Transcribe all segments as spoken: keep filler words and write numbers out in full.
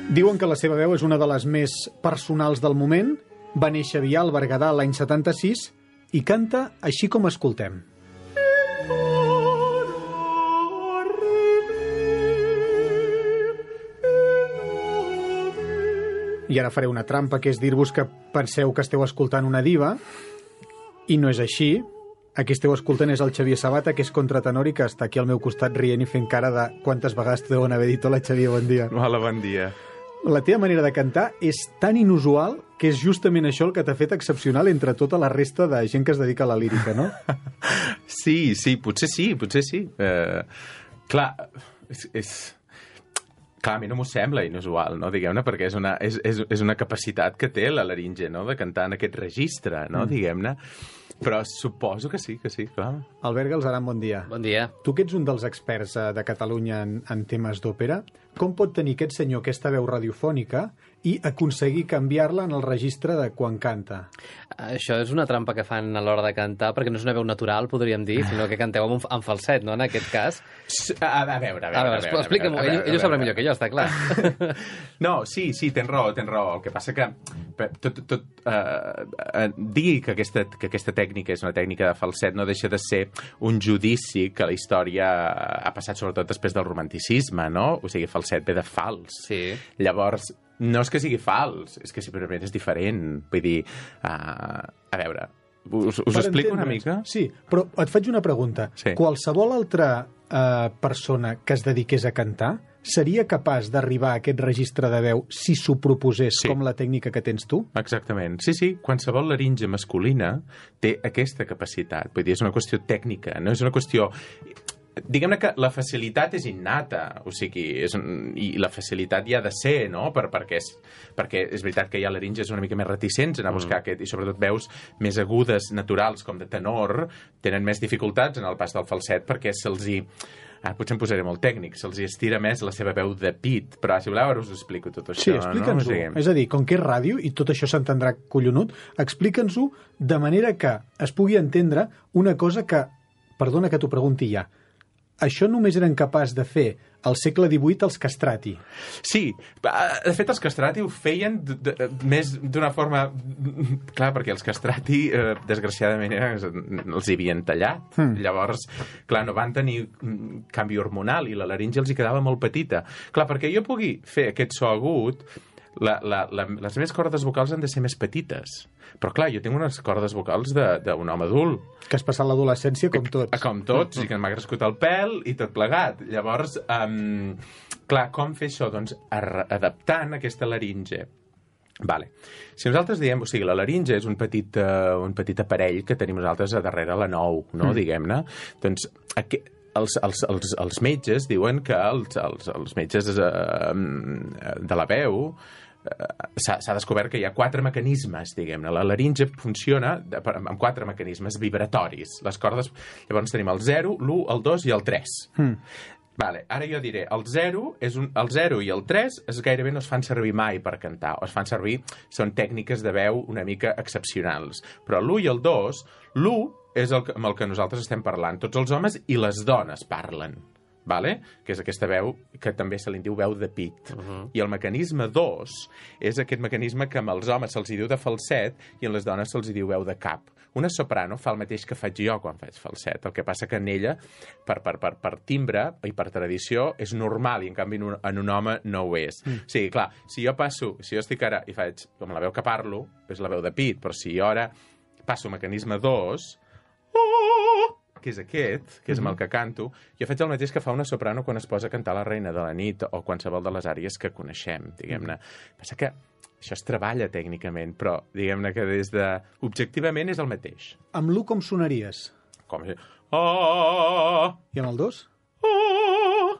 Diuen que la seva veu és una de les més personals del moment. Va néixer a Vià, al Berguedà, l'any setanta-sis, i canta així com escoltem. I ara faré una trampa, que és dir-vos que penseu que esteu escoltant una diva, i no és així. Aquí esteu escoltant és el Xavier Sabata, que és contratenor i que està aquí al meu costat rient i fent cara de quantes vegades t'ho deuen haver dit. Hola, Xavier, bon dia. Hola, bon dia. La teva manera de cantar és tan inusual que és justament això el que t'ha fet excepcional entre tota la resta de gent que es dedica a la lírica, no? Sí, sí, potser sí, potser sí. Uh, clar, és... és... Clar, a mi no m'ho sembla inusual, no? Diguem-ne, perquè és una, és, és, és una capacitat que té la laringe, no?, de cantar en aquest registre, no?, mm. diguem-ne. Però suposo que sí, que sí, clar. Albert Galzeran, bon dia. Bon dia. Tu que ets un dels experts de Catalunya en, en temes d'òpera, com pot tenir aquest senyor aquesta veu radiofònica i aconseguir canviar-la en el registre de quan canta? Això és una trampa que fan a l'hora de cantar, perquè no és una veu natural, podríem dir, sinó que canteu amb, un, amb falset, no?, en aquest cas. A, a veure, a veure... A veure, veure explica'm-ho, ell, ell ho sabrà millor que jo, està clar. No, sí, sí, tens raó, tens raó. El que passa que tot, tot, eh, uh, digui que aquesta, que aquesta tècnica és una tècnica de falset no deixa de ser un judici que la història ha passat sobretot després del romanticisme, no? O sigui, falset ve de fals. Sí. Llavors, no és que sigui fals, és que simplement és diferent. Vull dir, uh, a veure, us, us explico una mica? Sí, però et faig una pregunta. Sí. Qualsevol altra uh, persona que es dediqués a cantar seria capaç d'arribar a aquest registre de veu si s'ho proposés, sí, com la tècnica que tens tu? Exactament. Sí, sí, qualsevol laringe masculina té aquesta capacitat. Vull dir, és una qüestió tècnica, no és una qüestió... Diguem-ne que la facilitat és innata, o sigui, és un... i la facilitat hi ha de ser, no?, per, perquè, és, perquè és veritat que hi ha laringes una mica més reticents en a buscar mm. aquest, i sobretot veus més agudes, naturals, com de tenor, tenen més dificultats en el pas del falset perquè se'ls hi... Ah, potser em posaré molt tècnic, se'ls estira més la seva veu de pit, però si voleu ara us ho explico tot això. Sí, explica'ns-ho. No? És a dir, com que és ràdio i tot això s'entendrà collonut, explica'ns-ho de manera que es pugui entendre una cosa que, perdona que t'ho pregunti ja, això només eren capaç de fer al segle divuit els castrati. Sí, de fet els castrati ho feien d -d -d més d'una forma... Clar, perquè els castrati, eh, desgraciadament, els hi havien tallat. Mm. Llavors, clar, no van tenir canvi hormonal i la laringe els hi quedava molt petita. Clar, perquè jo pugui fer aquest so agut, la, la, la, les meves cordes vocals han de ser més petites. Però, clar, jo tinc unes cordes vocals d'un home adult. Que has passat l'adolescència com tots. Com tots, i que m'ha crescut el pèl i tot plegat. Llavors, um, clar, com fer això? Doncs adaptant aquesta laringe. Vale. Si nosaltres diem, o sigui, la laringe és un petit, uh, un petit aparell que tenim nosaltres a darrere la nou, no?, mm. diguem-ne. Doncs, aquí, els, els, els, els metges diuen que els, els, els metges uh, de la veu... s'ha descobert que hi ha quatre mecanismes, diguem-ne. La laringe funciona de, amb quatre mecanismes vibratoris. Les cordes... Llavors tenim el zero, l'u, el dos i el tres. Mm. Vale, ara jo diré, el zero, és un, el zero i el tres es gairebé no es fan servir mai per cantar, o es fan servir, són tècniques de veu una mica excepcionals. Però l'u i el dos, l'u és el, amb el que nosaltres estem parlant. Tots els homes i les dones parlen. Vale? Que és aquesta veu que també se li diu veu de pit. Uh -huh. I el mecanisme dos és aquest mecanisme que amb els homes se'ls diu de falset i en les dones se'ls diu veu de cap. Una soprano fa el mateix que faig jo quan faig falset. El que passa que en ella, per, per, per, per timbre i per tradició, és normal i en canvi en un, en un home no ho és. Mm. O sigui, clar, si jo passo, si jo estic ara i faig com la veu que parlo, és la veu de pit, però si jo ara passo mecanisme dos, que és aquest, que és amb el que canto, jo faig el mateix que fa una soprano quan es posa a cantar La reina de la nit o qualsevol de les àries que coneixem, diguem-ne. Passa que això es treballa tècnicament, però diguem-ne que des de... Objectivament és el mateix. Amb l'u com sonaries? Com? Oh! I amb el dos? Oh!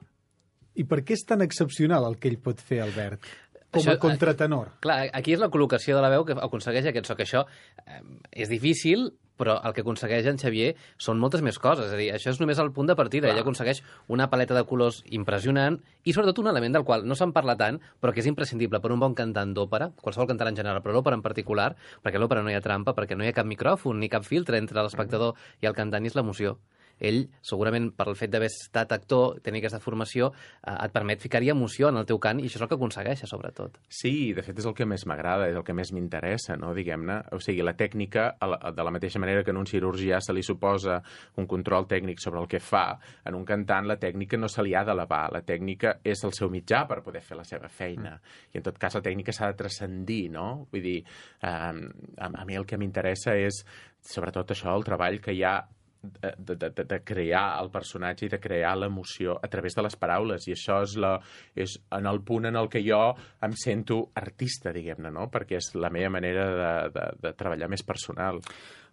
I per què és tan excepcional el que ell pot fer, Albert? Com a contratenor. Clar, aquí és la col·locació de la veu que aconsegueix aquest so, que això eh, és difícil, però el que aconsegueix en Xavier són moltes més coses. És a dir, això és només el punt de partida. Ell aconsegueix una paleta de colors impressionant i, sobretot, un element del qual no se'n parla tant, però que és imprescindible per un bon cantant d'òpera, qualsevol cantant en general, però l'òpera en particular, perquè a l'òpera no hi ha trampa, perquè no hi ha cap micròfon ni cap filtre entre l'espectador i el cantant, i és l'emoció. ell, segurament per el fet d'haver estat actor, tenir aquesta formació, eh, et permet ficar-hi emoció en el teu cant, i això és el que aconsegueix, sobretot. Sí, de fet és el que més m'agrada, és el que més m'interessa, no? Diguem-ne. O sigui, la tècnica, de la mateixa manera que en un cirurgià se li suposa un control tècnic sobre el que fa, en un cantant la tècnica no se li ha d'elevar, la tècnica és el seu mitjà per poder fer la seva feina. I en tot cas la tècnica s'ha de transcendir, no? Vull dir, eh, a, a mi el que m'interessa és, sobretot això, el treball que hi ha de, de, de, de crear el personatge i de crear l'emoció a través de les paraules. I això és, la, és en el punt en el que jo em sento artista, diguem-ne, no? Perquè és la meva manera de, de, de treballar més personal.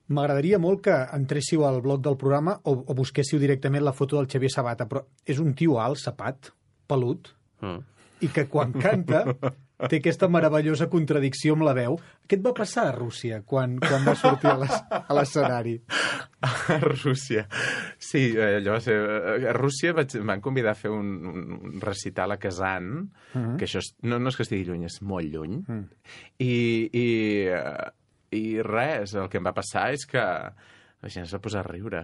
M'agradaria molt que entréssiu al blog del programa o, o busquéssiu directament la foto del Xavier Sabata, però és un tio alt, sapat, pelut, mm. i que quan canta té aquesta meravellosa contradicció amb la veu. Què et va passar a Rússia quan, quan va sortir a l'escenari? A Rússia. Sí, allò va ser... A Rússia vaig, em van convidar a fer un, un recital a Kazan, mm-hmm. que això és, no, no és que estigui lluny, és molt lluny, mm. i... i I res, el que em va passar és que la gent es va posar a riure.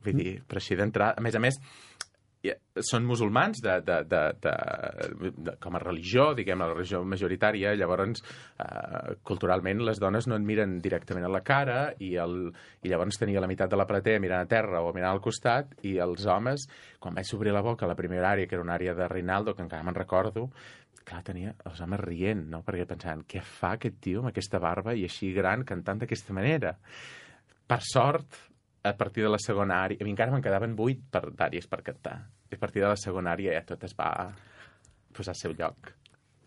Vull dir, per així d'entrada... A més a més, són musulmans de, de, de, de, de, com a religió, diguem, la religió majoritària, llavors, eh, culturalment, les dones no et miren directament a la cara i, el, i llavors tenia la meitat de la platea mirant a terra o mirant al costat, i els homes, quan vaig obrir la boca a la primera àrea, que era una àrea de Rinaldo, que encara me'n recordo, clar, tenia els homes rient, no? Perquè pensaven, què fa aquest tio amb aquesta barba i així gran cantant d'aquesta manera? Per sort, a partir de la segona àrea, a mi encara me'n quedaven vuit per, d'àrees per cantar. I a partir de la segona àrea ja tot es va posar al seu lloc.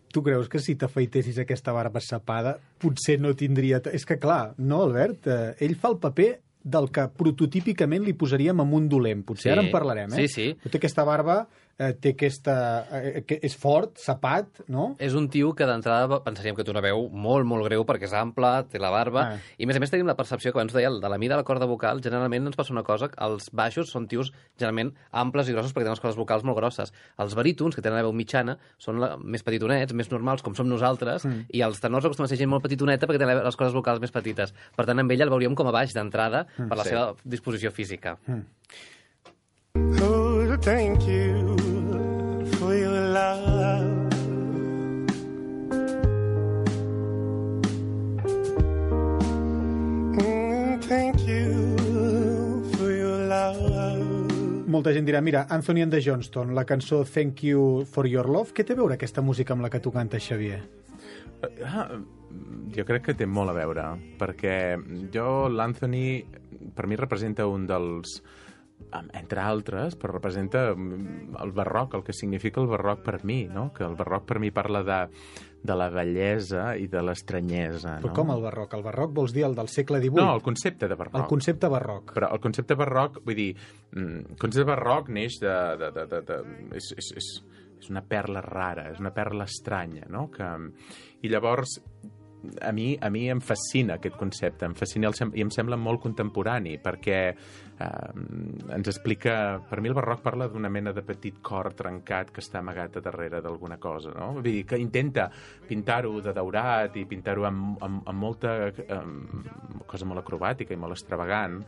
Tu creus que si t'afeitessis aquesta barba sapada potser no tindria... És que clar, no, Albert? Eh, ell fa el paper del que prototípicament li posaríem amb un dolent. Potser sí, ara en parlarem, eh? Sí, sí. Té aquesta barba, eh, té aquesta... Eh, que és fort, sapat, no? És un tio que d'entrada pensaríem que té una veu molt, molt greu perquè és ample, té la barba, ah. i a més a més tenim la percepció que abans deia, de la mida de la corda vocal, generalment ens passa una cosa, els baixos són tios generalment amples i grossos perquè tenen les cordes vocals molt grosses. Els barítons, que tenen la veu mitjana, són la, més petitonets, més normals, com som nosaltres, mm. i els tenors acostumen a ser gent molt petitoneta perquè tenen les cordes vocals més petites. Per tant, amb ell el veuríem com a baix d'entrada, per la sí. seva disposició física. Mm. Oh, thank you for your love. Mm, thank you for your love. Molta gent dirà, mira, Anthony and the Johnston, la cançó Thank You for Your Love, què té a veure aquesta música amb la que tu cantes, Xavier? Ah, jo crec que té molt a veure, perquè jo, l'Anthony, per mi representa un dels, entre altres, però representa el barroc, el que significa el barroc per mi, no? Que el barroc per mi parla de, de la bellesa i de l'estranyesa. Però no? com el barroc? El barroc vols dir el del segle divuit? No, el concepte de barroc. El concepte barroc. Però el concepte barroc, vull dir, el concepte barroc neix de... de, de, de, de és, és, és, és una perla rara, és una perla estranya, no? Que, i llavors, a mi, a mi em fascina aquest concepte, em fascina el, i em sembla molt contemporani, perquè eh, ens explica... Per mi el barroc parla d'una mena de petit cor trencat que està amagat a darrere d'alguna cosa, no? Vull dir, que intenta pintar-ho de daurat i pintar-ho amb, amb, amb molta amb cosa molt acrobàtica i molt extravagant,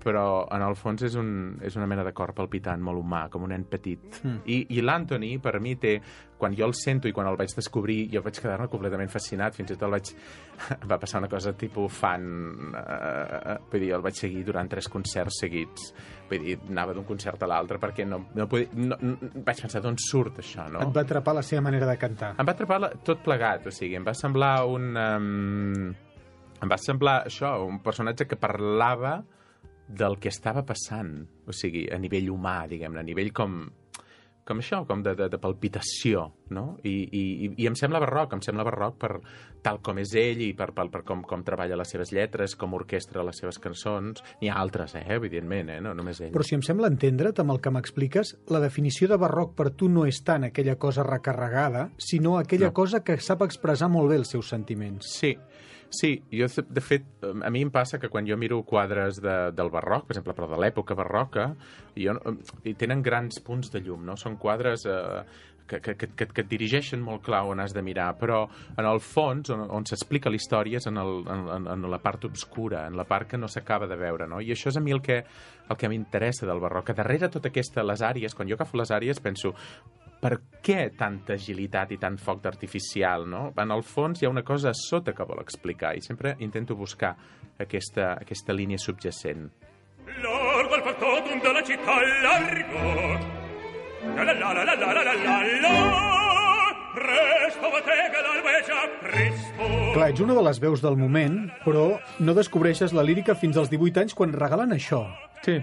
però en el fons és, un, és una mena de cor palpitant molt humà, com un nen petit. Mm. I, i l'Anthony, per mi, té... Quan jo el sento i quan el vaig descobrir, jo vaig quedar-me completament fascinat, fins i tot el vaig... va passar una cosa tipus fan... Uh, vull dir, el vaig seguir durant tres concerts seguits. Vull dir, anava d'un concert a l'altre perquè no, no podia... No, no, vaig pensar, d'on surt això, no? Et va atrapar la seva manera de cantar. Em va atrapar la, tot plegat, o sigui, em va semblar un... Um, em va semblar això, un personatge que parlava del que estava passant, o sigui, a nivell humà, diguem-ne, a nivell com, com això, com de, de, de palpitació, no? I, i, i em sembla barroc, em sembla barroc per tal com és ell i per, per, per com, com treballa les seves lletres, com orquestra les seves cançons. N'hi ha altres, eh, evidentment, eh? No només ell. Però si em sembla entendre't amb el que m'expliques, la definició de barroc per tu no és tant aquella cosa recarregada, sinó aquella no. cosa que sap expressar molt bé els seus sentiments. Sí, Sí, jo, de fet, a mi em passa que quan jo miro quadres de, del barroc, per exemple, però de l'època barroca, jo, i tenen grans punts de llum, no? Són quadres eh, que, que, que, que et dirigeixen molt clar on has de mirar, però en el fons, on, on s'explica la història és en, el, en, en la part obscura, en la part que no s'acaba de veure, no? I això és a mi el que, el que m'interessa del barroc, que darrere tota aquesta, les àries, quan jo agafo les àries penso, per què tanta agilitat i tant foc d'artificial, no? En el fons hi ha una cosa a sota que vol explicar i sempre intento buscar aquesta, aquesta línia subjacent. Largo al factotum della città largo. La la la la la la la la la. Presto batega l'albeja, presto. Clar, ets una de les veus del moment, però no descobreixes la lírica fins als divuit anys quan regalen això. Sí.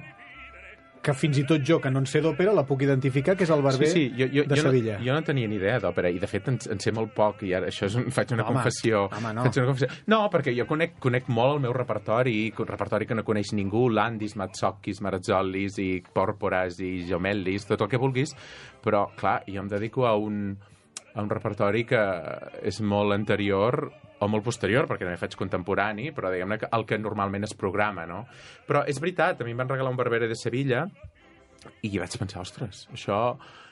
Que fins i tot jo, que no en sé d'òpera, la puc identificar, que és el barber sí, sí. Jo, jo, de jo Sevilla. No, jo no tenia ni idea d'òpera, i de fet en, en sé molt poc, i ara això és un, faig una Home, confessió. home, no. Faig una confessió. No, perquè jo conec, conec molt el meu repertori, un repertori que no coneix ningú, Landis, Mazzocchis, Marzollis, i Pòrporas, i Jomellis, tot el que vulguis, però, clar, jo em dedico a un, a un repertori que és molt anterior o molt posterior, perquè també faig contemporani, però diguem-ne que el que normalment es programa, no? Però és veritat, a mi em van regalar un Barbero de Sevilla i vaig pensar, ostres, això...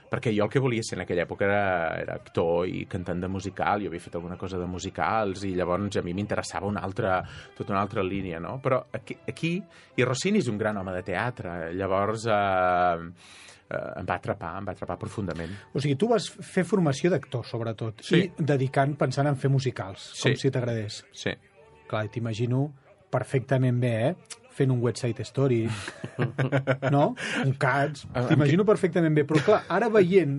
Perquè jo el que volia ser en aquella època era, era actor i cantant de musical, jo havia fet alguna cosa de musicals i llavors a mi m'interessava una altra, tota una altra línia, no? Però aquí, aquí i Rossini és un gran home de teatre, llavors eh, eh, em va atrapar, em va atrapar profundament. O sigui, tu vas fer formació d'actor, sobretot, Sí. i dedicant, pensant en fer musicals, com Sí. si t'agradés. Sí. Clar, t'imagino perfectament bé, eh? Fent un West Side Story, no? Un Cats, t'imagino perfectament bé. Però clar, ara veient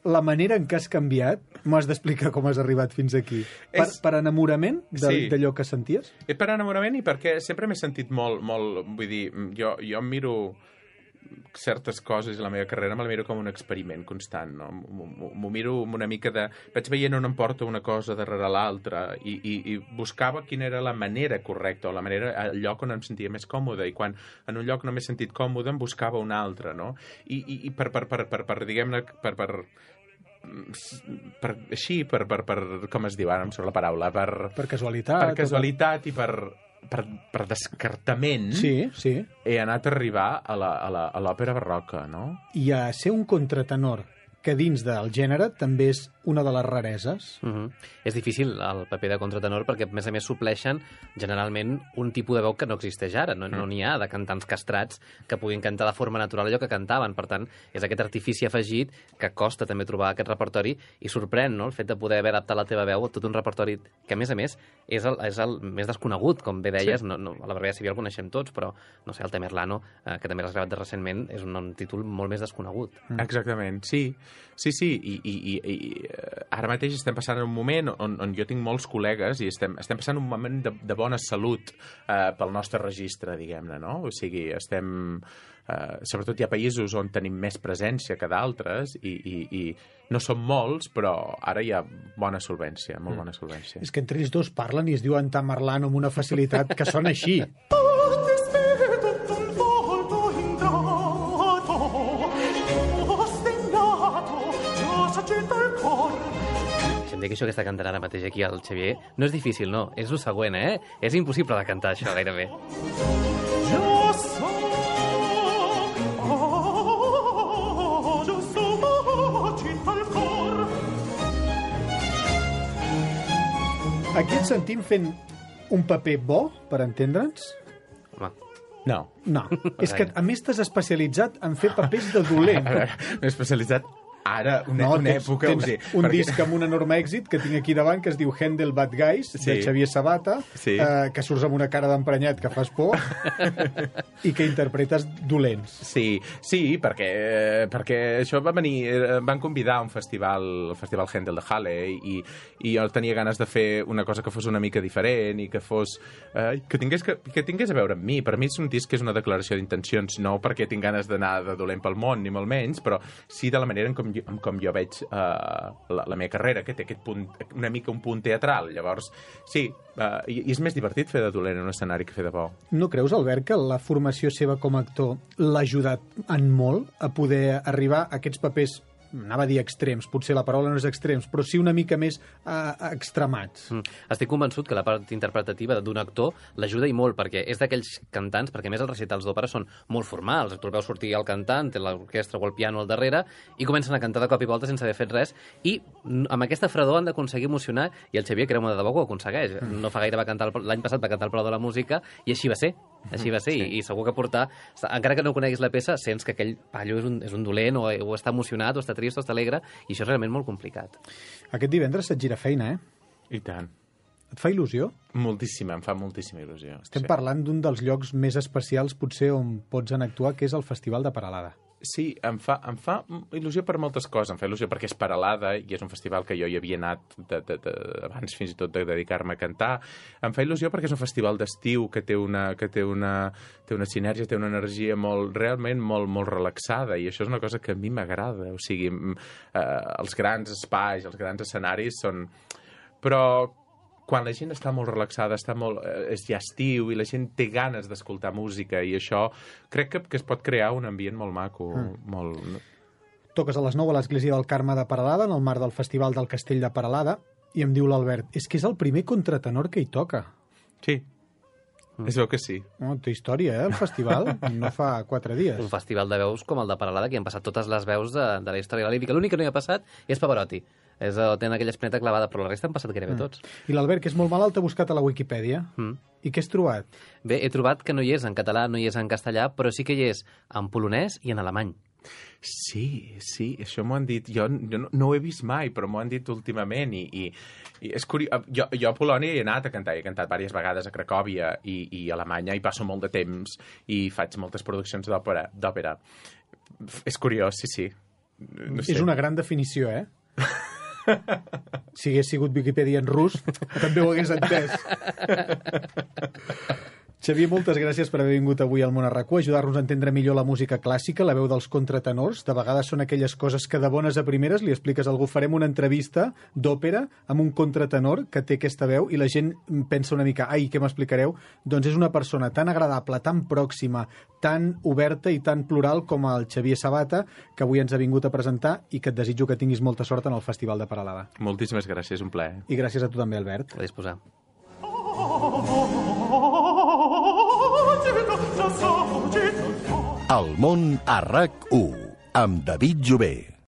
la manera en què has canviat, m'has d'explicar com has arribat fins aquí. Per, És- per enamorament de- Sí. d'allò que senties? És per enamorament i perquè sempre m'he sentit molt, molt... Vull dir, jo, jo em miro certes coses i la meva carrera me la miro com un experiment constant, no? M'ho m'ho miro amb una mica de... Vaig veient on em porta una cosa darrere l'altra i, i, i buscava quina era la manera correcta o la manera, el lloc on em sentia més còmode, i quan en un lloc no m'he sentit còmode em buscava un altre, no? I, i, i per, per, per, per, per diguem-ne, per, per, per, així, per, per, per, com es diu ara, em surt la paraula, per, Per casualitat? per casualitat i per, per, per descartament, Sí, sí. he anat a arribar a la- a la- a l'òpera barroca, no? I a ser un contratenor que dins del gènere també és una de les rareses. Uh -huh. És difícil el paper de contratenor perquè, a més a més, supleixen generalment un tipus de veu que no existeix ara. No no n'hi ha de cantants castrats que puguin cantar de forma natural allò que cantaven. Per tant, és aquest artifici afegit que costa també trobar aquest repertori i sorprèn, no?, el fet de poder haver adaptat la teva veu a tot un repertori que, a més a més, és el, és el més desconegut, com bé deies. Sí. No, no, a la Barbera Civil el coneixem tots, però, no sé, el Tamerlano, eh, que també l'has gravat de recentment, és un, un títol molt més desconegut. Mm. Exactament, sí. Sí, sí, i, i, i, i eh, ara mateix estem passant un moment on, on jo tinc molts col·legues i estem, estem passant un moment de, de bona salut eh, pel nostre registre, diguem-ne, no? O sigui, estem... Eh, sobretot hi ha països on tenim més presència que d'altres i, i, i no són molts, però ara hi ha bona solvència, molt bona solvència. És que entre ells dos parlen i es diuen Tamerlano amb una facilitat que sona així. Deixa'm dir que això que està cantant ara mateix aquí el Xavier no és difícil, no. És el següent, eh? És impossible de cantar això, gairebé. Jo soc, oh, jo soc cinta al cor. Aquí et sentim fent un paper bo, per entendre'ns? Home, No. No. És que, a més, t'has especialitzat en fer papers de dolent. A veure, m'he especialitzat ara, una, una tens, època... tens o sigui, un perquè- disc amb un enorme èxit que tinc aquí davant, que es diu Handel Bad Guys, de Sí. Xavier Sabata, Sí. eh, que surts amb una cara d'emprenyat que fas por i que interpretes dolents. Sí, sí, perquè, perquè això va venir... eh, Van convidar a un festival, el Festival Handel de Halle, i, i jo tenia ganes de fer una cosa que fos una mica diferent i que fos... Eh, que, tingués, que, que tingués a veure amb mi. Per mi és un disc que és una declaració d'intencions, no perquè tinc ganes d'anar de dolent pel món, ni molt menys, però sí de la manera en com jo, en com jo veig eh, la, la meva carrera, que té aquest punt, una mica un punt teatral. Llavors, sí, eh, i, i és més divertit fer de dolent en un escenari que fer de bo. No creus, Albert, que la formació seva com a actor l'ha ajudat en molt a poder arribar a aquests papers anava a dir extrems, potser la paraula no és extrems, però sí una mica més uh, extremats. Mm. Estic convençut que la part interpretativa d'un actor l'ajuda i molt, perquè és d'aquells cantants, perquè a més els recitals d'òpera són molt formals, tu el veus sortir el cantant, té l'orquestra o el piano al darrere, i comencen a cantar de cop i volta sense haver fet res, i amb aquesta fredor han d'aconseguir emocionar, i el Xavier, creu-me de debò, que ho aconsegueix. Mm. No fa gaire va cantar, l'any passat va cantar el Palau de la Música, i així va ser. Així va ser, sí. i, i segur que portar... Encara que no coneguis la peça, sents que aquell pallo és un, és un dolent, o, o està emocionat, o està trist, o està alegre, i això és realment molt complicat. Aquest divendres se't gira feina, eh? I tant. Et fa il·lusió? Moltíssima, em fa moltíssima il·lusió. Estem sí. parlant d'un dels llocs més especials, potser, on pots anar a actuar, que és el Festival de Peralada. Sí, em fa, em fa il·lusió per moltes coses. Em fa il·lusió perquè és Peralada i és un festival que jo hi havia anat de, de, de, abans fins i tot de dedicar-me a cantar. Em fa il·lusió perquè és un festival d'estiu que té una, que té una, té una sinergia, té una energia molt, realment molt, molt relaxada, i això és una cosa que a mi m'agrada. O sigui, eh, els grans espais, els grans escenaris són... Però quan la gent està molt relaxada, està molt, eh, és ja estiu i la gent té ganes d'escoltar música, i això crec que, que es pot crear un ambient molt maco. Mm. Molt... Toques a les nou a l'Església del Carme de Peralada, en el marc del Festival del Castell de Peralada, i em diu l'Albert, és que és el primer contratenor que hi toca. Sí, mm. es veu que sí. Oh, té història, eh, el festival? No fa quatre dies. Un festival de veus com el de Peralada, que hi han passat totes les veus de, de la història de la lírica. L'únic que no hi ha passat és Pavarotti. És, tenen aquella espineta clavada, però la resta han passat gairebé mm. tots. I l'Albert, que és molt malalt, t'ha buscat a la Wikipedia. Mm. I què has trobat? Bé, he trobat que no hi és en català, no hi és en castellà, però sí que hi és en polonès i en alemany. Sí, sí, això m'ho han dit. Jo, jo no, no ho he vist mai, però m'ho han dit últimament. I, i, i és curiós. Jo, jo a Polònia hi he anat a cantar, he cantat diverses vegades a Cracòvia i, i a Alemanya, i passo molt de temps i faig moltes produccions d'òpera. És curiós, sí, sí. No sé. És una gran definició, eh? Si hagués sigut Wikipedia en rus, també ho hagués entès. Xavier, moltes gràcies per haver vingut avui al Món a RAC u, ajudar-nos a entendre millor la música clàssica, la veu dels contratenors. De vegades són aquelles coses que de bones a primeres li expliques a algú. Farem una entrevista d'òpera amb un contratenor que té aquesta veu i la gent pensa una mica, ai, què m'explicareu? Doncs és una persona tan agradable, tan pròxima, tan oberta i tan plural com el Xavier Sabata, que avui ens ha vingut a presentar, i que et desitjo que tinguis molta sort en el Festival de Peralada. Moltíssimes gràcies, un plaer. I gràcies a tu també, Albert. A disposar. El Món a RAC u, amb David Jové.